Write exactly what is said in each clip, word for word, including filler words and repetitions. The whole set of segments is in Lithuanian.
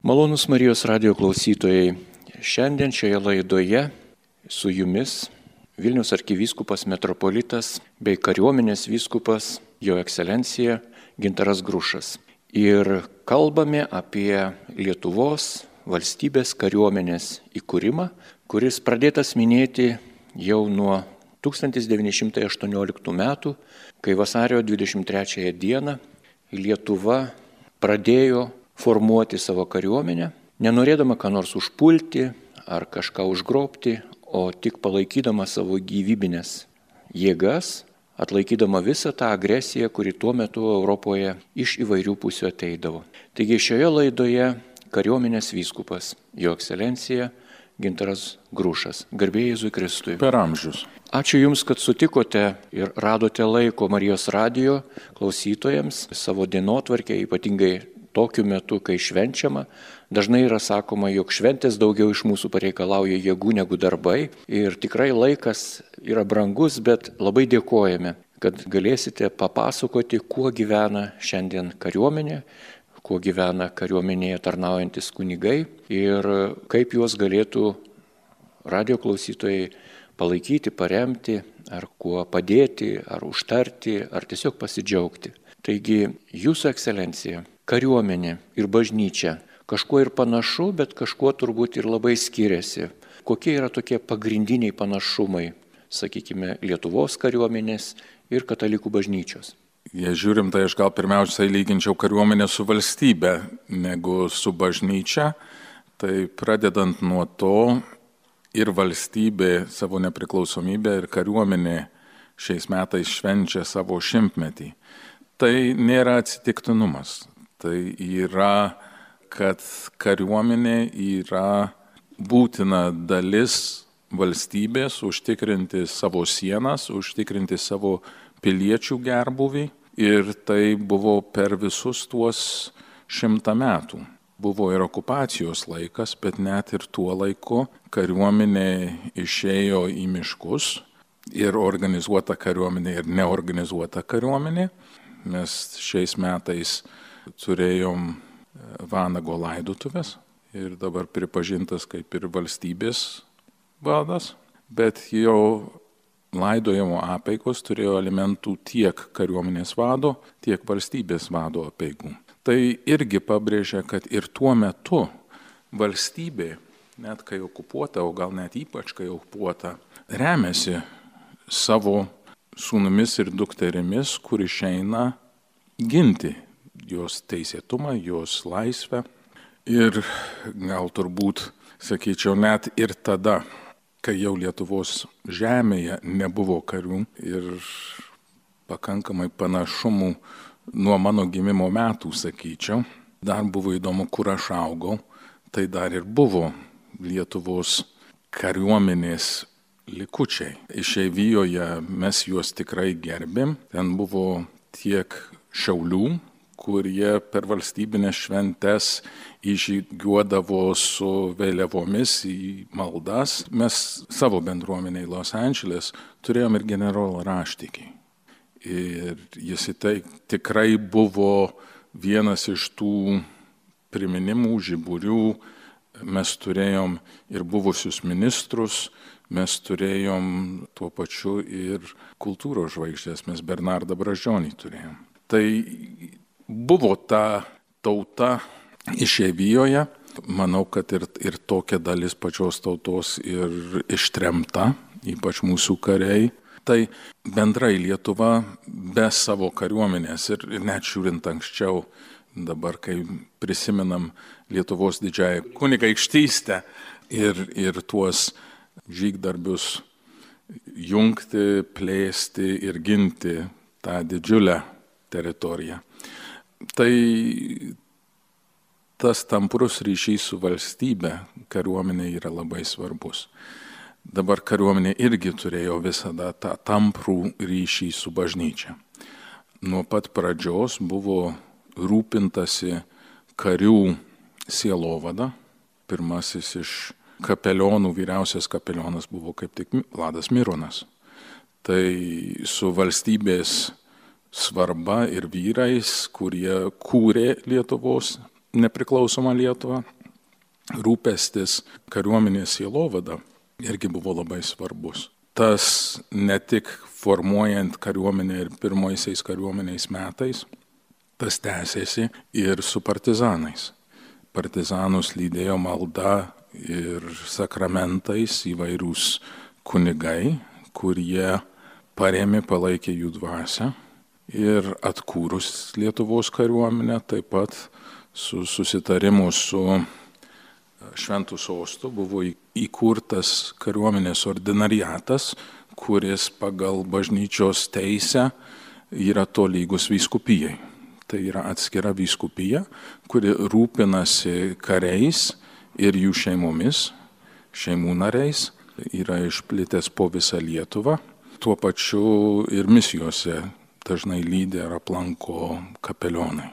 Malonūs Marijos radijo klausytojai, šiandien šioje laidoje su jumis Vilniaus arkivyskupas metropolitas bei kariuomenės vyskupas Jo ekscelencija Gintaras Grušas. Ir kalbame apie Lietuvos valstybės kariuomenės įkūrimą, kuris pradėtas minėti jau nuo tūkstantis devyni šimtai aštuonioliktų metų, kai vasario dvidešimt trečiąją dieną Lietuva pradėjo formuoti savo kariuomenę, nenorėdama ką nors užpulti ar kažką užgrobti, o tik palaikydama savo gyvybinės jėgas, atlaikydama visą tą agresiją, kuri tuo metu Europoje iš įvairių pusių ateidavo. Taigi šioje laidoje kariuomenės vyskupas Jo ekscelencija Gintaras Grušas. Garbė Jėzui Kristui. Per amžius. Ačiū Jums, kad sutikote ir radote laiko Marijos radijo klausytojams savo dienotvarkę, ypatingai tokiu metu, kai švenčiama. Dažnai yra sakoma, jog šventės daugiau iš mūsų pareikalauja jėgų negu darbai. Ir tikrai laikas yra brangus, bet labai dėkojame, kad galėsite papasakoti, kuo gyvena šiandien kariuomenė, kuo gyvena kariuomenėje tarnaujantis kunigai ir kaip juos galėtų radijo klausytojai palaikyti, paremti, ar kuo padėti, ar užtarti, ar tiesiog pasidžiaugti. Taigi, Jūsų ekscelencija, kariuomenė ir bažnyčia kažkuo ir panašu, bet kažkuo turbūt ir labai skiriasi. Kokie yra tokie pagrindiniai panašumai, sakykime, Lietuvos kariuomenės ir katalikų bažnyčios? Jei žiūrim, tai aš gal pirmiausiai lyginčiau kariuomenę su valstybe negu su bažnyčia. Tai pradedant nuo to, ir valstybė savo nepriklausomybę, ir kariuomenė šiais metais švenčia savo šimtmetį. Tai nėra atsitiktinumas. Tai yra, kad kariuomenė yra būtina dalis valstybės užtikrinti savo sienas, užtikrinti savo piliečių gerbūvį. Ir tai buvo per visus tuos šimtą metų. Buvo ir okupacijos laikas, bet net ir tuo laiku kariuomenė išėjo į miškus. Ir organizuota kariuomenė, ir neorganizuota kariuomenė. Mes šiais metais turėjom vanago laidotuvės ir dabar pripažintas kaip ir valstybės vadas, bet jo laidojimo apeigos turėjo elementų tiek kariuomenės vado, tiek valstybės vado apeigų. Tai irgi pabrėžia, kad ir tuo metu valstybė, net kai okupuota, o gal net ypač kai okupuota, remiasi savo sūnumis ir dukterimis, kur išeina ginti jos teisėtumą, jos laisvę. Ir gal turbūt, sakyčiau, net ir tada, kai jau Lietuvos žemėje nebuvo karių ir pakankamai panašumų nuo mano gimimo metų, sakyčiau, dar buvo įdomu, kur aš augau, tai dar ir buvo Lietuvos kariuomenės likučiai. Išeivijoje mes juos tikrai gerbėm, ten buvo tiek šaulių, kurie per valstybinės šventes įžygiuodavo su vėliavomis į maldas. Mes savo bendruomeniai Los Andželes turėjom ir generolą Raštikį. Ir jis tai tikrai buvo vienas iš tų priminimų, žiburių. Mes turėjom ir buvusius ministrus, mes turėjom tuo pačiu ir kultūros žvaigždės, mes Bernardą Brazdžionį turėjom. Tai buvo ta tauta išeivijoje. Manau, kad ir, ir tokia dalis pačios tautos ir ištremta, ypač mūsų kariai. Tai bendrai Lietuva be savo kariuomenės ir, ir net žiūrint anksčiau, dabar kai prisimenam Lietuvos didžiąją kunigaikštystę ir, ir tuos žygdarbius jungti, plėsti ir ginti tą didžiulę teritoriją. Tai tas tamprus ryšys su valstybe kariuomenė yra labai svarbus. Dabar kariuomenė irgi turėjo visada tą tamprų ryšį su bažnyčia. Nuo pat pradžios buvo rūpintasi karių sielovada. Pirmasis iš kapelionų, vyriausias kapelionas buvo kaip tik Vladas Mironas. Tai su valstybės svarba ir vyrais, kurie kūrė Lietuvos nepriklausomą Lietuvą, rūpestis kariuomenės sielovada irgi buvo labai svarbus. Tas ne tik formuojant kariuomenę ir pirmaisiais kariuomeniais metais, tas tęsėsi ir su partizanais. Partizanus lydėjo malda ir sakramentais įvairūs kunigai, kurie parėmė, palaikė jų dvasią. Ir atkūrus Lietuvos kariuomenę, taip pat su susitarimu su Šventu sostu buvo įkurtas kariuomenės ordinariatas, kuris pagal bažnyčios teisę yra tolygus vyskupijai. Tai yra atskira vyskupija, kuri rūpinasi kariais ir jų šeimomis, šeimų nariais, yra išplitęs po visą Lietuvą. Tuo pačiu ir misijose dažnai lydi ir aplanko kapelionai.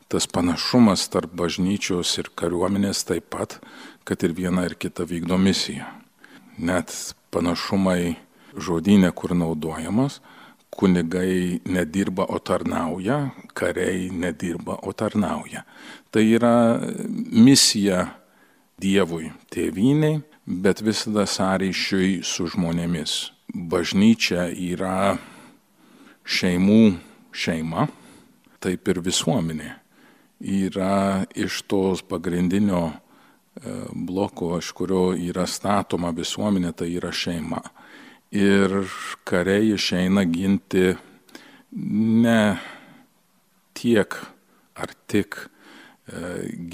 Tas panašumas tarp bažnyčios ir kariuomenės taip pat, kad ir viena ir kita vykdo misiją. Net panašumai žodyne, kur naudojamas, kunigai nedirba, o tarnauja, kariai nedirba, o tarnauja. Tai yra misija Dievui, tėvynei, bet visada sąryšiui su žmonėmis. Bažnyčia yra šeimų šeima, taip ir visuomenė yra iš tos pagrindinio bloko, iš kurio yra statoma visuomenė, tai yra šeima. Ir kariai išeina ginti ne tiek ar tik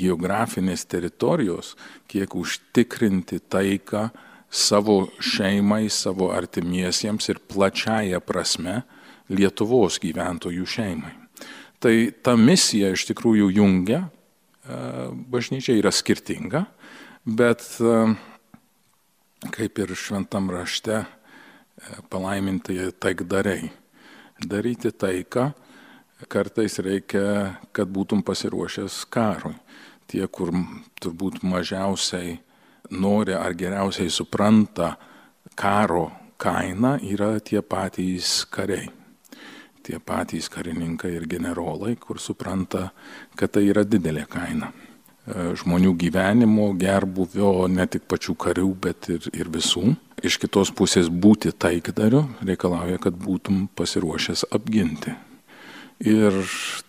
geografinės teritorijos, kiek užtikrinti taiką savo šeimai, savo artimiesiems ir plačiaja prasme Lietuvos gyventojų šeimai. Tai ta misija iš tikrųjų jungia, bažnyčia yra skirtinga, bet kaip ir šventam rašte palaiminti taikdariai. Daryti taiką kartais reikia, kad būtum pasiruošęs karui. Tie, kur turbūt mažiausiai nori ar geriausiai supranta karo kainą, yra tie patys kariai. Tie patys karininkai ir generolai, kur supranta, kad tai yra didelė kaina. Žmonių gyvenimo, gerbuvio, ne tik pačių karių, bet ir, ir visų. Iš kitos pusės būti taikdariu reikalauja, kad būtum pasiruošęs apginti. Ir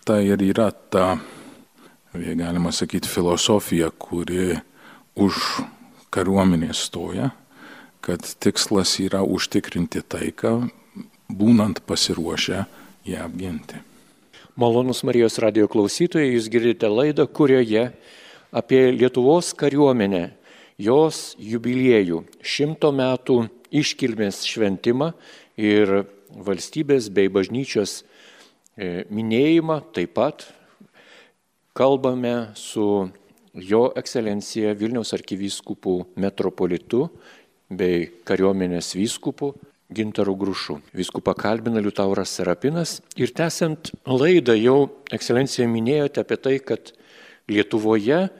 tai ir yra ta, jei galima sakyti, filosofija, kuri už kariuomenės stoja, kad tikslas yra užtikrinti taiką, būnant pasiruošę ją apginti. Malonus Marijos radijo klausytojai, jūs girdite laidą, kurioje apie Lietuvos kariuomenę, jos jubiliejų, šimto metų iškilmės šventimą ir valstybės bei bažnyčios minėjimą, taip pat kalbame su Jo ekscelencija Vilniaus arkivyskupu metropolitu bei kariuomenės vyskupu Gintaru Grušu. Vyskupą kalbina Liutauras Serapinas ir tęsiant laidą jau ekscelencija minėjote apie tai, kad Lietuvoje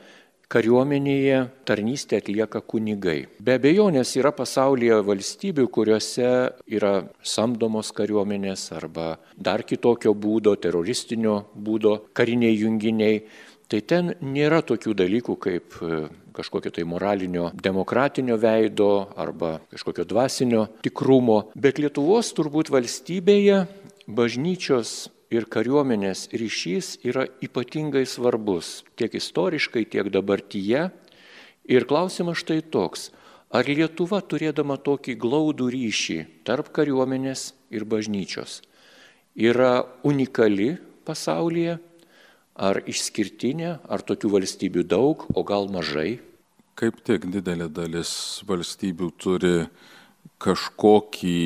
kariuomenėje tarnystę atlieka kunigai. Be abejonės yra pasaulyje valstybių, kuriuose yra samdomos kariuomenės arba dar kitokio būdo, teroristinio būdo kariniai junginiai. Tai ten nėra tokių dalykų kaip kažkokio tai moralinio, demokratinio veido arba kažkokio dvasinio tikrumo. Bet Lietuvos turbūt valstybėje bažnyčios ir kariuomenės ryšys yra ypatingai svarbus tiek istoriškai, tiek dabartyje. Ir klausimas štai toks, ar Lietuva turėdama tokį glaudų ryšį tarp kariuomenės ir bažnyčios yra unikali pasaulyje? Ar išskirtinė, ar tokių valstybių daug, o gal mažai? Kaip tik didelė dalis valstybių turi kažkokį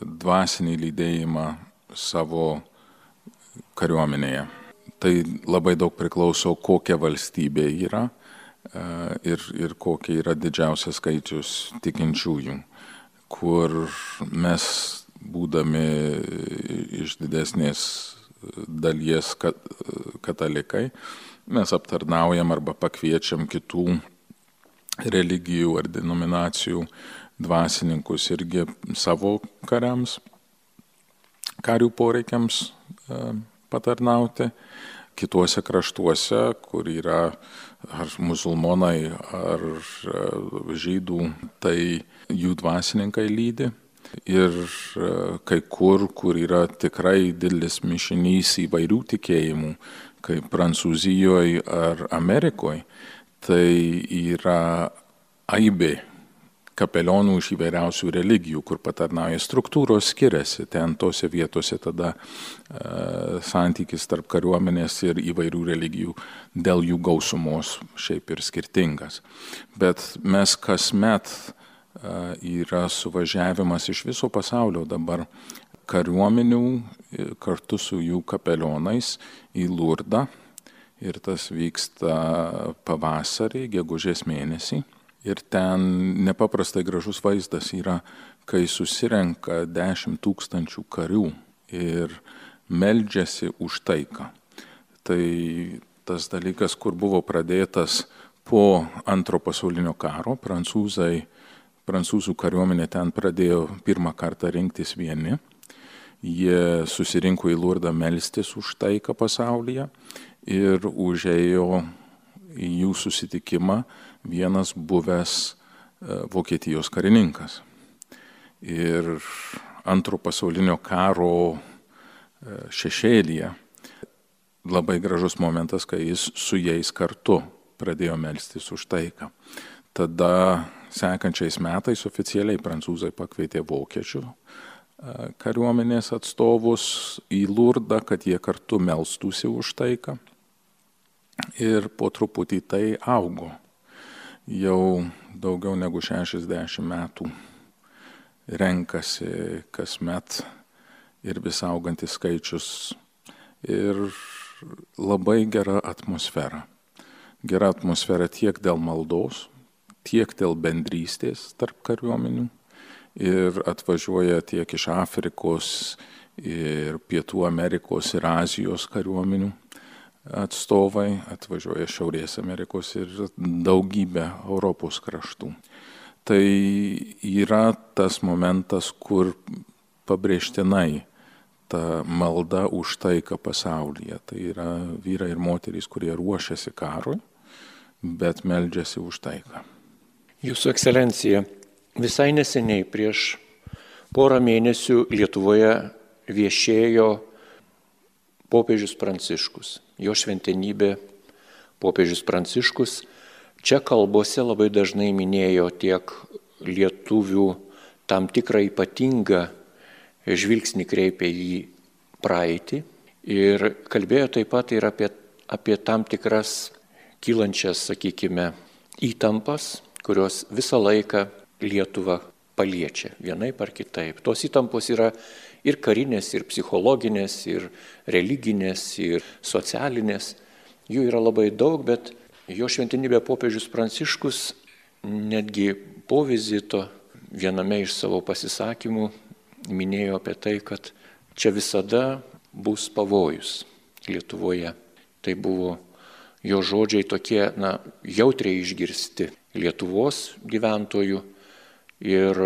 dvasinį lydėjimą savo kariuomenėje. Tai labai daug priklauso, kokia valstybė yra ir, ir kokia yra didžiausias skaičius tikinčiųjų, kur mes, būdami iš didesnės dalies katalikai, mes aptarnaujam arba pakviečiam kitų religijų ar denominacijų dvasininkus irgi savo kariams, karių poreikiams patarnauti. kituose kraštuose, kur yra ar musulmonai, ar žydų, tai jų dvasininkai lydi. Ir kai kur, kur yra tikrai didelis mišinys įvairių tikėjimų, kaip Prancūzijoje ar Amerikoje, tai yra aibė kapelionų iš įvairiausių religijų, kur patarnauja, struktūros skiriasi. Ten tose vietose tada e, santykis tarp kariuomenės ir įvairių religijų dėl jų gausumos šiaip ir skirtingas. Bet mes kasmet e, yra suvažiavimas iš viso pasaulio dabar kariuomenių kartu su jų kapelionais į Lurdą. Ir tas vyksta pavasarį, gegužės mėnesį. Ir ten nepaprastai gražus vaizdas yra, kai susirenka dešimt tūkstančių karių ir meldžiasi už taiką. Tai tas dalykas, kur buvo pradėtas po antro pasaulinio karo, prancūzai, prancūzų kariuomenė ten pradėjo pirmą kartą rinktis vieni. Jie susirinko į Lurdą melstis už taiką pasaulyje ir užėjo į jų susitikimą vienas buvęs Vokietijos karininkas. Ir antro pasaulinio karo šešėlyje labai gražus momentas, kai jis su jais kartu pradėjo melstis už taiką. Tada sekančiais metais oficialiai prancūzai pakvietė vokiečių kariuomenės atstovus į Lurdą, kad jie kartu melstųsi už taiką. Ir po truputį tai augo. Jau daugiau negu šešiasdešimt metų renkasi kasmet ir vis augantis skaičius ir labai gera atmosfera. Gera atmosfera tiek dėl maldos, tiek dėl bendrystės tarp kariuomenių ir atvažiuoja tiek iš Afrikos ir Pietų Amerikos ir Azijos kariuomenių atstovai, atvažiuoja Šiaurės Amerikos ir daugybė Europos kraštų. Tai yra tas momentas, kur pabrėžtinai ta malda už taiką pasaulyje. Tai yra vyrai ir moterys, kurie ruošiasi karui, bet meldžiasi už taiką. Jūsų ekscelencija, visai neseniai prieš porą mėnesių Lietuvoje viešėjo popiežius Pranciškus. Jo šventenybė popiežius Pranciškus čia kalbose labai dažnai minėjo tiek lietuvių tam tikrą ypatingą žvilgsnį kreipė į praeitį ir kalbėjo taip pat ir apie, apie tam tikras kylančias, sakykime, įtampas, kurios visą laiką Lietuvą paliečia vienaip ar kitaip. Tos įtampos yra ir karinės, ir psichologinės, ir religinės, ir socialinės. Jų yra labai daug, bet jo šventenybė popiežius Pranciškus netgi po vizito viename iš savo pasisakymų minėjo apie tai, kad čia visada bus pavojus Lietuvoje. Tai buvo jo žodžiai tokie, na, jautriai išgirsti Lietuvos gyventojų ir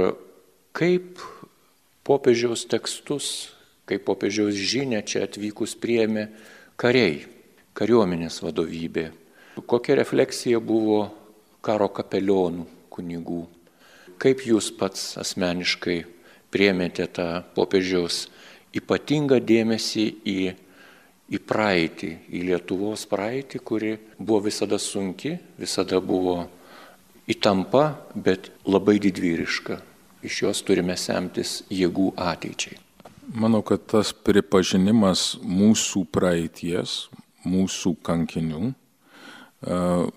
kaip popiežiaus tekstus, kaip popiežiaus žinią čia atvykus priėmė kariai, kariuomenės vadovybė. Kokia refleksija buvo karo kapelionų kunigų? Kaip jūs pats asmeniškai priėmėte tą popiežiaus ypatingą dėmesį į, į praeitį, į Lietuvos praeitį, kuri buvo visada sunki, visada buvo įtampa, bet labai didvyriška. Iš jos turime semtis jėgų ateičiai. Manau, kad tas pripažinimas mūsų praeities, mūsų kankinių,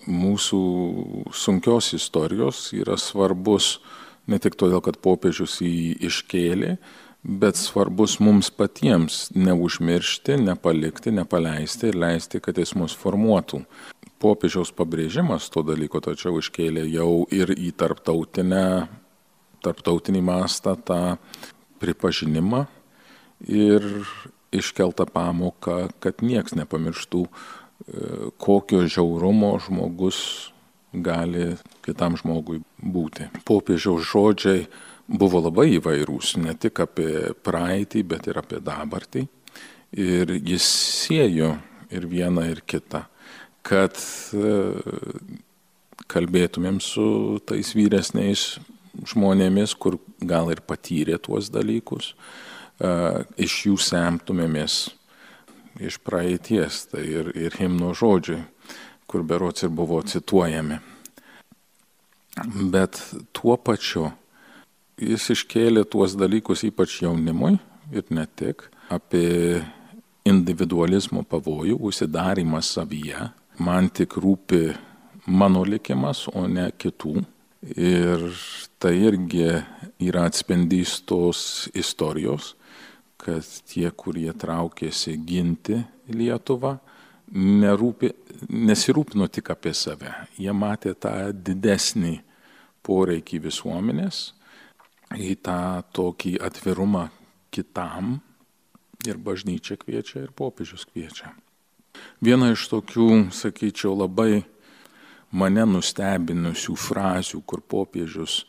mūsų sunkios istorijos yra svarbus ne tik todėl, kad popiežius jį iškėlė, bet svarbus mums patiems neužmiršti, nepalikti, nepaleisti ir leisti, kad jis mus formuotų. Popiežiaus pabrėžimas to dalyko tačiau iškėlė jau ir į tarptautinę tarptautinį mastą tą pripažinimą ir iškeltą pamoką, kad nieks nepamirštų, kokio žiaurumo žmogus gali kitam žmogui būti. Popiežiaus žodžiai buvo labai įvairūs, ne tik apie praeitį, bet ir apie dabartį. Ir jis siejo ir viena, ir kita, kad kalbėtumėm su tais vyresniais žmonėmis, kur gal ir patyrė tuos dalykus, iš jų semtumėmės iš praeities, tai ir, ir himno žodžiai, kur berods ir buvo cituojami. Bet tuo pačiu jis iškėlė tuos dalykus ypač jaunimui ir ne tik, apie individualizmo pavojų, užsidarimą savyje. Man tik rūpi mano likimas, o ne kitų. Ir tai irgi yra atspindys tos istorijos, kad tie, kurie traukėsi ginti Lietuvą, nerūpi, nesirūpino tik apie save. Jie matė tą didesnį poreikį visuomenės, į tą tokį atvirumą kitam, ir bažnyčia kviečia, ir popiežius kviečia. Viena iš tokių, sakyčiau, labai mane nustebinusių frazių, kur popiežius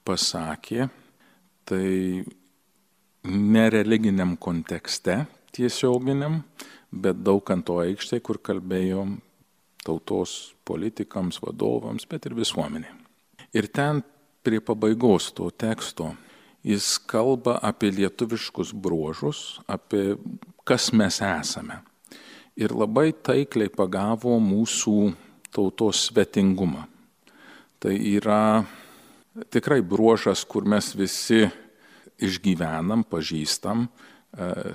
pasakė, tai ne religiniam kontekste tiesioginiam, bet Daukanto aikštėje, kur kalbėjom tautos politikams, vadovams, bet ir visuomeniai. Ir ten prie pabaigos to teksto jis kalba apie lietuviškus bruožus, apie kas mes esame. Ir labai taikliai pagavo mūsų tautos svetingumą. Tai yra tikrai bruožas, kur mes visi išgyvenam, pažįstam,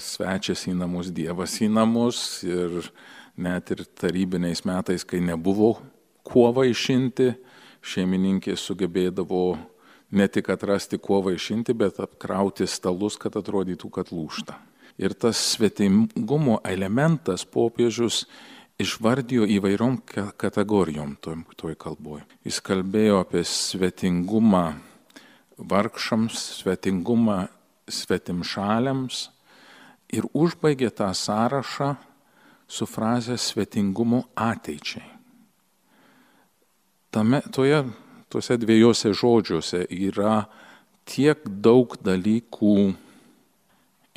svečias į namus, Dievas į namus, ir net ir tarybiniais metais, kai nebuvo kuo vaišinti, šeimininkė sugebėdavo ne tik atrasti kuo vaišinti, bet apkrauti stalus, kad atrodytų, kad lūžta. Ir tas svetingumo elementas popiežius išvardijo įvairiom kategorijom toj, toj kalboj. Jis kalbėjo apie svetingumą vargšams, svetingumą svetimšaliams ir užbaigė tą sąrašą su fraze svetingumo ateičiai. Tame, toje, tuose dviejose žodžiuose yra tiek daug dalykų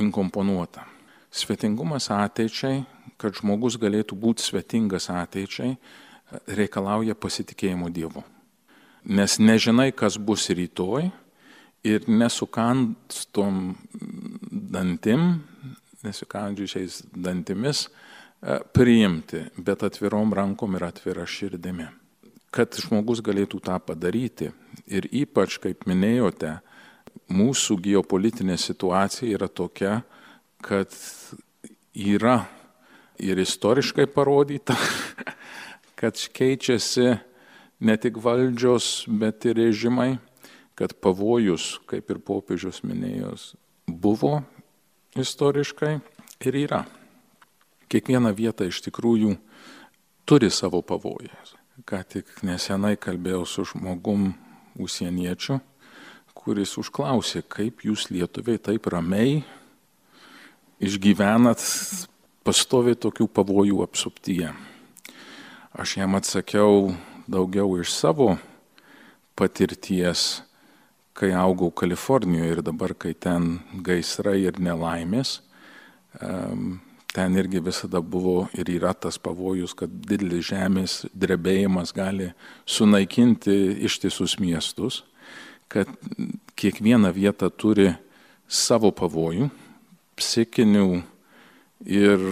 inkomponuota. Svetingumas ateičiai, kad žmogus galėtų būti svetingas ateičiai, reikalauja pasitikėjimo Dievu. Nes nežinai, kas bus rytoj, ir nesukandom dantim, nesukandžiusiais dantimis priimti, bet atvirom rankom ir atvira širdimi. Kad žmogus galėtų tą padaryti, ir ypač, kaip minėjote, mūsų geopolitinė situacija yra tokia, kad yra ir istoriškai parodyta, kad keičiasi ne tik valdžios, bet ir režimai, kad pavojus, kaip ir popiežius minėjos, buvo istoriškai ir yra. Kiekviena vieta iš tikrųjų turi savo pavojus. Ką tik nesenai kalbėjau su žmogum užsieniečiu, kuris užklausė, kaip jūs lietuviai taip ramiai išgyvenat pastoviai tokių pavojų apsuptyje. Aš jam atsakiau daugiau iš savo patirties, kai augau Kalifornijoje ir dabar, kai ten gaisrai ir nelaimės, ten irgi visada buvo ir yra tas pavojus, kad didelis žemės drebėjimas gali sunaikinti ištisus miestus, kad kiekviena vieta turi savo pavojų, psichinių ir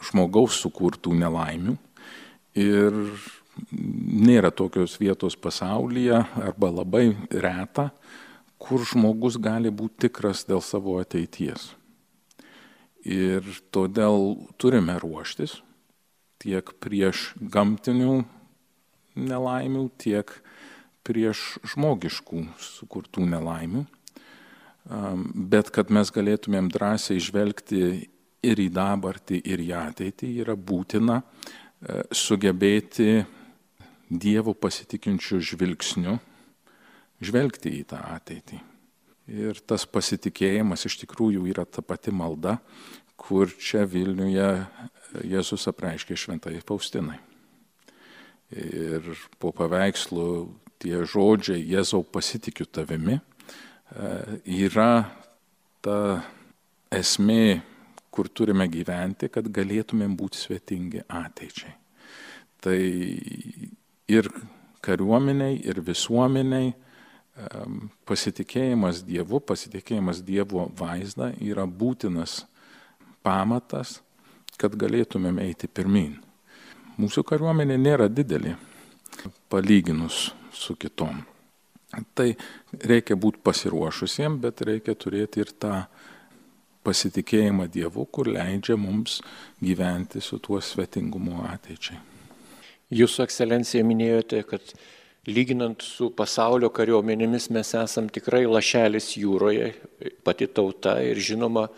žmogaus sukurtų nelaimių. Ir nėra tokios vietos pasaulyje, arba labai reta, kur žmogus gali būti tikras dėl savo ateities. Ir todėl turime ruoštis tiek prieš gamtinių nelaimių, tiek prieš žmogiškų sukurtų nelaimių. Bet kad mes galėtumėm drąsiai žvelgti ir į dabartį, ir į ateitį, yra būtina sugebėti Dievo pasitikinčių žvilgsnių žvelgti į tą ateitį. Ir tas pasitikėjimas iš tikrųjų yra ta pati malda, kur čia Vilniuje Jėzus apreiškė šventai Faustinai. Ir po paveikslu tie žodžiai Jėzau pasitikiu tavimi yra ta esmė, kur turime gyventi, kad galėtumėm būti svetingi ateičiai. Tai ir kariuomeniai, ir visuomeniai pasitikėjimas Dievu, pasitikėjimas Dievo vaizdą yra būtinas pamatas, kad galėtumėm eiti pirmyn. Mūsų kariuomenė nėra didelė, palyginus su kitom. Tai reikia būti pasiruošusiems, bet reikia turėti ir tą pasitikėjimą Dievu, kur leidžia mums gyventi su tuo svetingumu ateičiai. Jūsų ekscelencija minėjote, kad lyginant su pasaulio kariuomenėmis mes esam tikrai lašelis jūroje, pati tauta ir žinoma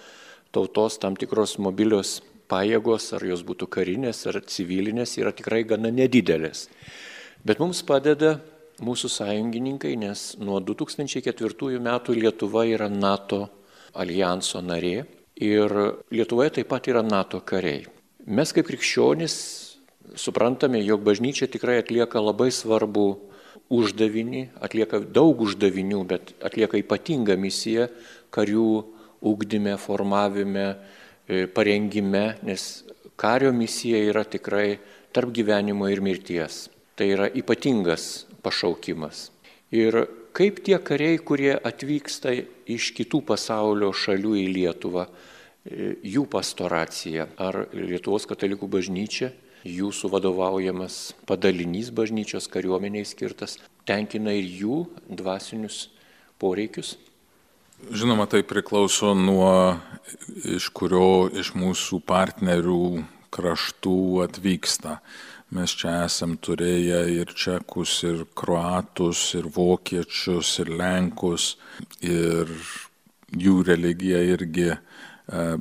tautos tam tikros mobilios pajėgos, ar jos būtų karinės ar civilinės, yra tikrai gana nedidelės. Bet mums padeda mūsų sąjungininkai, nes nuo du tūkstančiai ketvirtųjų metų Lietuva yra NATO aljanso narė ir Lietuvoje taip pat yra NATO kariai. Mes kaip krikščionys suprantame, jog bažnyčia tikrai atlieka labai svarbų uždavinį, atlieka daug uždavinių, bet atlieka ypatingą misiją karių ugdyme, formavime, parengime, nes kario misija yra tikrai tarp gyvenimo ir mirties. Tai yra ypatingas pašaukimas. Ir kaip tie kariai, kurie atvyksta iš kitų pasaulio šalių į Lietuvą, jų pastoracija, ar Lietuvos katalikų bažnyčia, jūsų vadovaujamas padalinys bažnyčios kariuomeniai skirtas, tenkina ir jų dvasinius poreikius? Žinoma, tai priklauso nuo iš kurio iš mūsų partnerių kraštų atvyksta. Mes čia esam turėję ir čekus, ir kroatus, ir vokiečius, ir lenkus, ir jų religija irgi,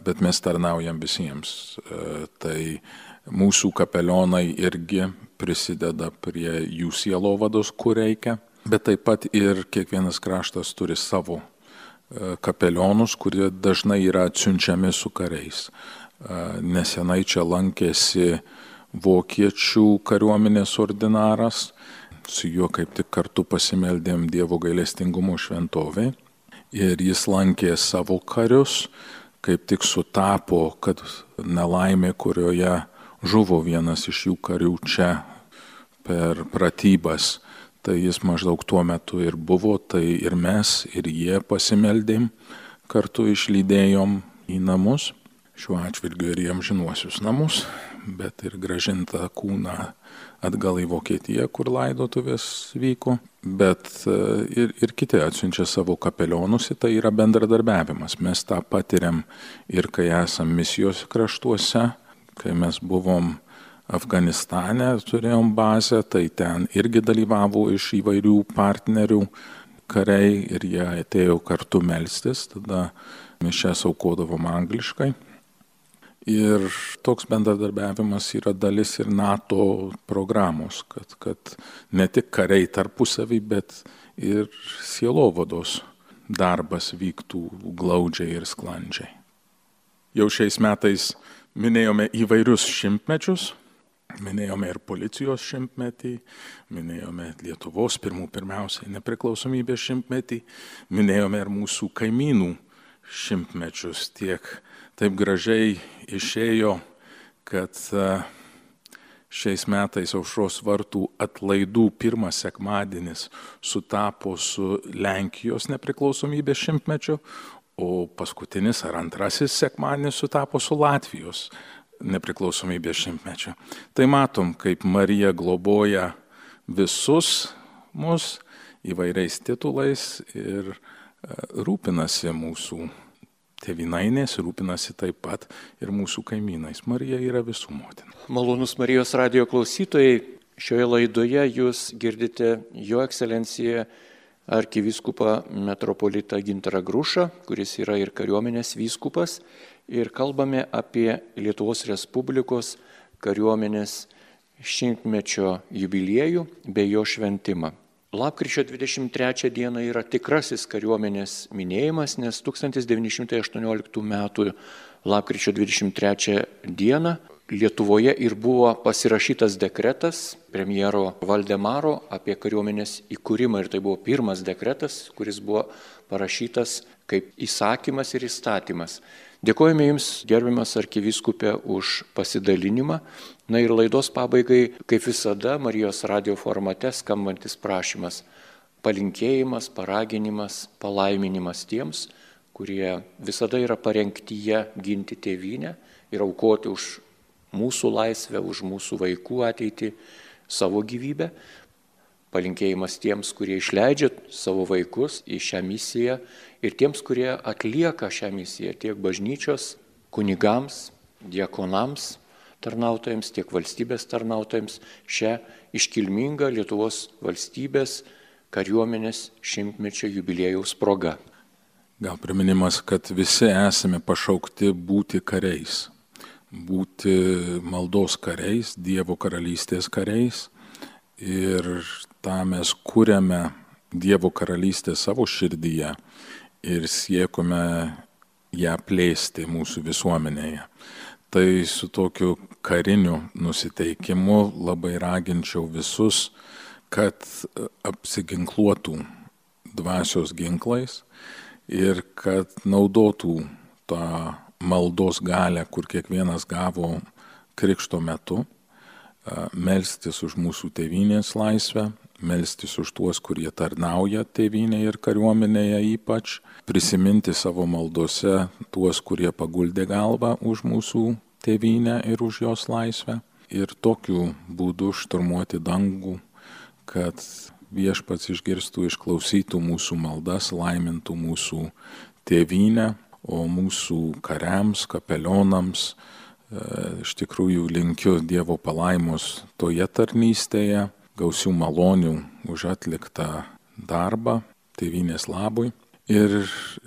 bet mes tarnaujam visiems. Tai mūsų kapelionai irgi prisideda prie jų sielovados, kur reikia, bet taip pat ir kiekvienas kraštas turi savo kapelionus, kurie dažnai yra atsiunčiami su kariais. Nesenai čia lankėsi vokiečių kariuomenės ordinaras, su juo kaip tik kartu pasimeldėm Dievo gailestingumo šventovėj ir jis lankė savo karius, kaip tik sutapo, kad nelaimė, kurioje žuvo vienas iš jų karių čia per pratybas, tai jis maždaug tuo metu ir buvo, tai ir mes, ir jie pasimeldėm, kartu išlydėjom į namus, šiuo atžvilgiu ir jiem žinuosius namus, bet ir grąžintą kūną atgal į Vokietiją, kur laidotuvės vyko, bet ir, ir kiti atsiunčia savo kapelionus, tai yra bendradarbiavimas. Mes tą patiriam ir kai esam misijos kraštuose, kai mes buvom Afganistane, turėjom bazę, tai ten irgi dalyvavo iš įvairių partnerių kariai ir jie atėjo kartu melstis, tada mes čia aukodavom angliškai. Ir toks bendradarbiavimas yra dalis ir NATO programos, kad, kad ne tik kariai tarpusavį, bet ir sielovados darbas vyktų glaudžiai ir sklandžiai. Jau šiais metais minėjome įvairius šimtmečius, minėjome ir policijos šimtmetį, minėjome Lietuvos pirmų pirmiausiai nepriklausomybės šimtmetį, minėjome ir mūsų kaimynų šimtmečius. Tiek taip gražiai išėjo, kad šiais metais Aušros vartų atlaidų pirmas sekmadienis sutapo su Lenkijos nepriklausomybės šimtmečiu, o paskutinis ar antrasis sekmadienis sutapo su Latvijos nepriklausomybės šimtmečiu. Tai matom, kaip Marija globoja visus mus įvairiais titulais ir rūpinasi mūsų tėvynainės, rūpinasi taip pat ir mūsų kaimynais. Marija yra visų motina. Malonus Marijos radijo klausytojai, šioje laidoje jūs girdite Jo ekscelenciją arkivyskupą metropolitą Gintarą Grušą, kuris yra ir kariuomenės vyskupas, ir kalbame apie Lietuvos Respublikos kariuomenės šimtmečio jubiliejų bei jo šventimą. Lapkričio dvidešimt trečią dieną yra tikrasis kariuomenės minėjimas, nes tūkstantis devyni šimtai aštuonioliktų metų lapkričio dvidešimt trečią dieną Lietuvoje ir buvo pasirašytas dekretas premjero Valdemaro apie kariuomenės įkūrimą ir tai buvo pirmas dekretas, kuris buvo parašytas kaip įsakymas ir įstatymas. Dėkojame Jums, gerbiamas arkivyskupė, už pasidalinimą. Na ir laidos pabaigai, kaip visada, Marijos radio formate skambantis prašymas, palinkėjimas, paraginimas, palaiminimas tiems, kurie visada yra parengtyje ginti tėvynę ir aukoti už mūsų laisvę, už mūsų vaikų ateitį savo gyvybę. Palinkėjimas tiems, kurie išleidžia savo vaikus į šią misiją ir tiems, kurie atlieka šią misiją tiek bažnyčios kunigams, diakonams, tarnautojams, tiek valstybės tarnautojams šią iškilmingą Lietuvos valstybės kariuomenės šimtmečio jubiliejaus proga. Gal priminimas, kad visi esame pašaukti būti kariais, būti maldos kariais, Dievo karalystės kariais. Ir tą mes kuriame Dievo karalystę savo širdyje ir siekime ją plėsti mūsų visuomenėje. Tai su tokiu kariniu nusiteikimu labai raginčiau visus, kad apsiginkluotų dvasios ginklais ir kad naudotų tą maldos galią, kur kiekvienas gavo krikšto metu, melstis už mūsų tėvynės laisvę, melstis už tuos, kurie tarnauja tėvynėje ir kariuomenėje ypač, prisiminti savo maldose tuos, kurie paguldė galvą už mūsų tėvynę ir už jos laisvę ir tokiu būdu šturmuoti dangų, kad Viešpats išgirstų, išklausytų mūsų maldas, laimintų mūsų tėvynę, o mūsų kariams, kapelionams iš tikrųjų linkiu Dievo palaimos toje tarnystėje, gausių malonių už atliktą darbą tėvynės labui ir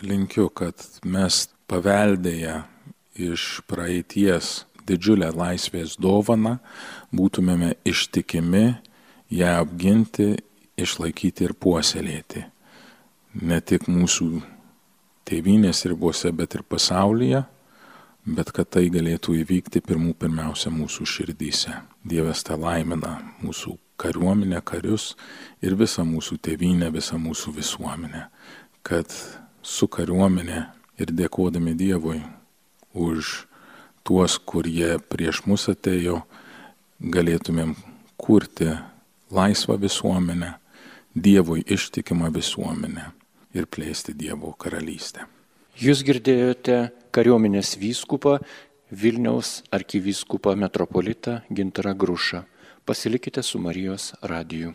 linkiu, kad mes paveldėję iš praeities didžiulę laisvės dovaną būtumėme ištikimi ją apginti, išlaikyti ir puoselėti. Ne tik mūsų tėvynės ribose, bet ir pasaulyje, bet kad tai galėtų įvykti pirmų pirmiausia mūsų širdyse. Dievas te laimina mūsų kariuomenę, karius ir visą mūsų tėvynę, visą mūsų visuomenę, kad su kariuomenė ir dėkodami Dievui už tuos, kurie prieš mus atėjo, galėtumėm kurti laisvą visuomenę, Dievui ištikimą visuomenę ir plėsti Dievo karalystę. Jūs girdėjote kariuomenės vyskupą, Vilniaus arkivyskupą metropolitą Gintarą Grušą. Pasilikite su Marijos radiju.